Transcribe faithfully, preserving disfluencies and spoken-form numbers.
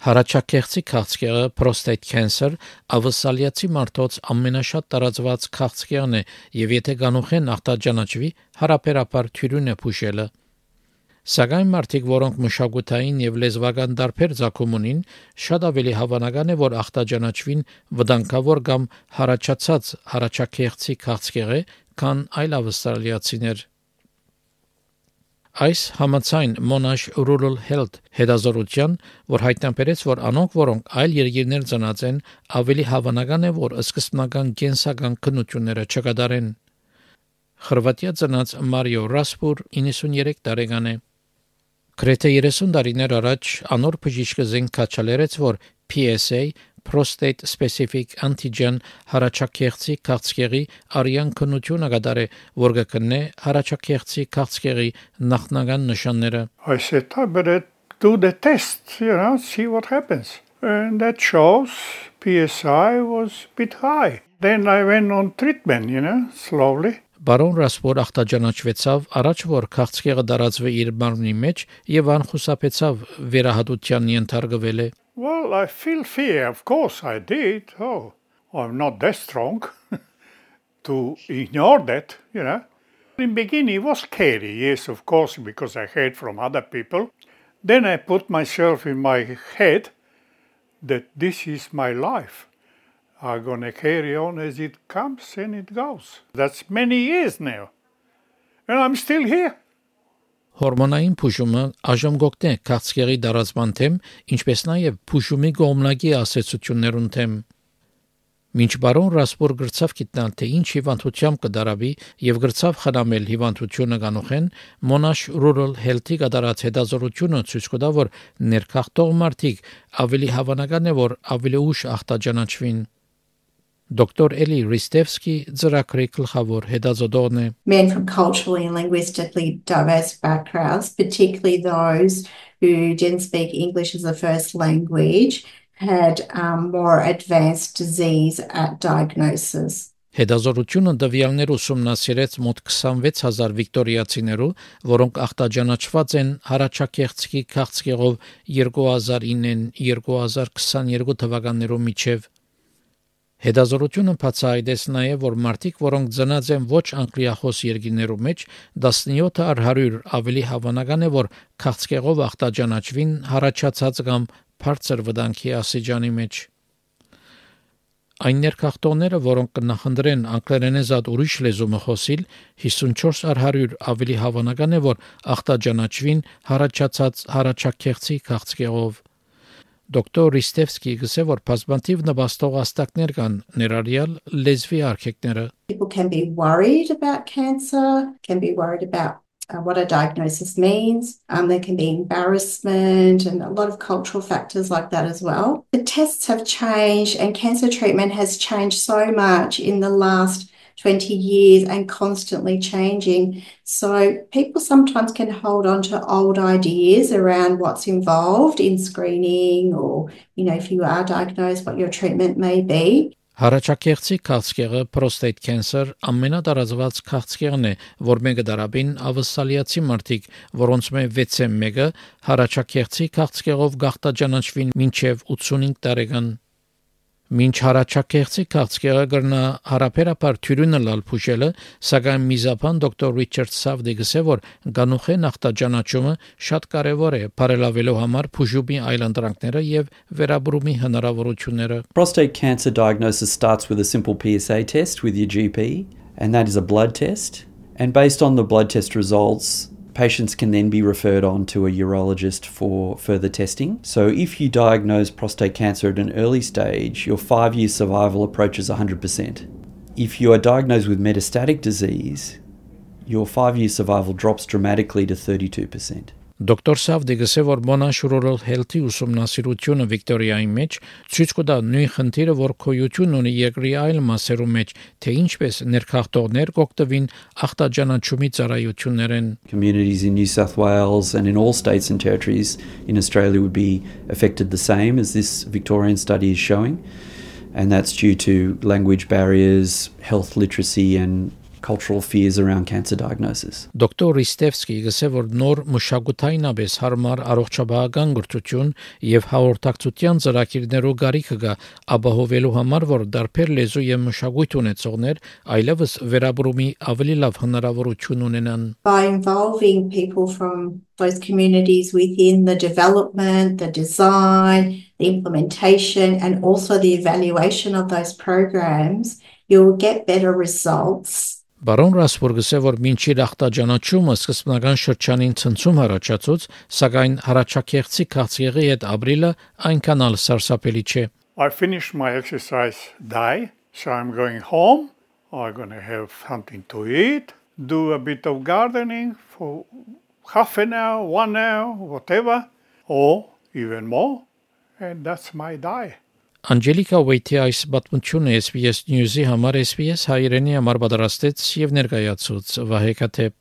Հարաճակեղծի քաղցկեղը prostate cancer ավսալիացի մարդոց ամենաշատ տարածված քաղցկեղն է եւ եթե գանուխեն ախտաջանաչվի, հարաբերաբար թյուրին է փուշելը։ Սակայն մարդիկ, որոնք մշակութային եւ լեզվական դարբեր ցակում ունին, շատ ավելի հավանական է, որ ախտաջանաչվին վտանգավոր կամ հարաճացած հարաճակեղծի քաղցկեղ է, քան այլ ավստրալիացիներ։ Այս համաձայն Monash Rural Health հետազոտության, որ հայտնաբերեց, որ անոնք, որոնք այլ երկիրներ ծնած են, ավելի հավանական է, որ սկզբնական կենսական քննությունները չկատարեն։ Խորվաթիա ծնած Մարիո Ռասպուր իննսունյերեք տարեկան է։ Գրեթե երեսուն տարիներ առաջ անոր բժիշկը զենք քաչալերեց, որ P S A prostate specific antigen հարաճակեղծի քաղցկեղի արյան քննությունը կատարե, որ կգտնե հարաճակեղծի քաղցկեղի նախնական նշանները։ I said, I better do the test, you know, see what happens. And that shows P S I was a bit high. Then I went on treatment, you know, slowly. Բարոն Ռասպոր ախտաջանաչվեցավ առաջ որ քաղցկեղը դարածվի իր մարմնի մեջ եւ անխուսափեցավ վերահատության ենթարկվել է։ Well, I feel fear, of course I did. Oh, I'm not that strong to ignore that, you know. In the beginning it was scary, yes, of course, because I heard from other people. Then I put myself in my head that this is my life. I'm going to carry on as it comes and it goes. That's many years now. And I'm still here. Հորմոնային փուշումը այժմ գոկտե քաղցկեղի դարածման թեմ, ինչպես նաև փուշումի գոմնակի ասացություններուն թեմ։ Մինչ բարոն Ռասպոր գրծավ գիտնալ, թե ինչ հիվանդությամբ կդարավի եւ գրծավ խնամել հիվանդությունը կանոխեն, Monash Rural Health-ի կատարած հետազոտությունը ցույց կտա, որ ներքախտող մարդիկ ավելի հավանական է, որ ավելի ուշ ախտաջանաչվին։ Doctor Eli Ristevsky ծրագրի գլխավոր հետազոտողն է։ Men from culturally and linguistically diverse backgrounds, particularly those who didn't speak English as a first language, had um, more advanced disease at diagnosis. Հետազոտությունը տվյալներ ուսումնասիրեց մոտ twenty-six thousand վիկտորիացիներու, որոնք ախտաջանաչված են հարաճակեղծի քաղցկեղով two thousand nine two thousand twenty-two թվականներու միջև։ Հետազոտությունը բացահայտեց նաև, որ մարդիկ, որոնք ծնած են ոչ անգլիախոս երկրներու մեջ, seventy-seven առ one hundred ավելի հավանական է, որ քաղցկեղով ախտաջանաչվին հարաճացած կամ բարձր վտանգի աստիճանի մեջ։ Այն ներքախտողները, որոնք կնախընտրեն անգլերենեզատ ուրիշ լեզու խոսիլ, fifty-four առ one hundred ավելի հավանական է, որ ախտաջանաչվին հարաճացած հարաճակեղծի քաղցկեղով։ Doctor Ristevsky գսե որ բազմաթիվ նպաստող աստակներ կան ներառյալ լեզվի արգելքները։ People can be worried about cancer, can be worried about uh, what a diagnosis means. Um, there can be embarrassment and a lot of cultural factors like that as well. The tests have changed and cancer treatment has changed so much in the last twenty years and constantly changing. So people sometimes can hold on to old ideas around what's involved in screening or, you know, if you are diagnosed, what your treatment may be. Հարաճակեղծի քաղցկեղը prostate cancer ամենատարածված քաղցկեղն է, որ մեկը դարաբին ավսալիացի մարդիկ, որոնց մեջ six-ը հարաճակեղծի քաղցկեղով գախտաջանաչվին մինչև eighty-five տարեկան։ Մինչ հարաճակեղծի քաղցկեղը գրնա հարաբերաբար թյուրինը լալ փուշելը, սակայն միզապան դոկտոր Ռիչարդ Սավդի գսե որ գանուխեն ախտաջանաչումը շատ կարևոր է բարելավելու համար փուշումի այլընտրանքները եւ վերաբրումի հնարավորությունները։ Prostate cancer diagnosis starts with a simple P S A test with your G P, and that is a blood test. And based on the blood test results, patients can then be referred on to a urologist for further testing. So if you diagnose prostate cancer at an early stage, your five-year survival approaches one hundred percent. If you are diagnosed with metastatic disease, your five-year survival drops dramatically to thirty-two percent. Doctor Savdi գսե որ Monash Rural Health-ի ուսումնասիրությունը Վիկտորիայի մեջ ցույց կտա նույն խնդիրը, որ քոյություն ունի երկրի այլ մասերու մեջ, թե ինչպես ներքախտողներ կօգտվին ախտաջանաչումի ծառայություններեն։ Communities in New South Wales and in all states and territories in Australia would be affected the same as this Victorian study is showing, and that's due to language barriers, health literacy and cultural fears around cancer diagnosis. Դոկտոր Ռիստևսկի գսե որ նոր մշակութայնաբես հարմար առողջապահական գրթություն եւ հաղորդակցության ծրագիրներու գարիքը գա ապահովելու համար որ դարբեր լեզու եւ մշակույթ ունեցողներ այլևս վերաբրումի ավելի լավ հնարավորություն ունենան. By involving people from those communities within the development, the design, the implementation, and also the evaluation of those programs, you'll get better results. Բարոն Ռասբուրգը որ մինչիր ախտաջանաչումը սկզբնական շրջանին ցնցում առաջացուց, սակայն հարաճակեղծի քաղցկեղի հետ ապրիլը այնքան ալ սարսափելի չէ. I finished my exercise day, so I'm going home. I'm going to have something to eat, do a bit of gardening for half an hour, one hour, whatever, or even more, and that's my day. Անջելիկա Ուեյթի այս պատմությունը S B S News-ի համար S B S հայերենի համար պատրաստեց եւ ներկայացուց Վահե Քաթեփ.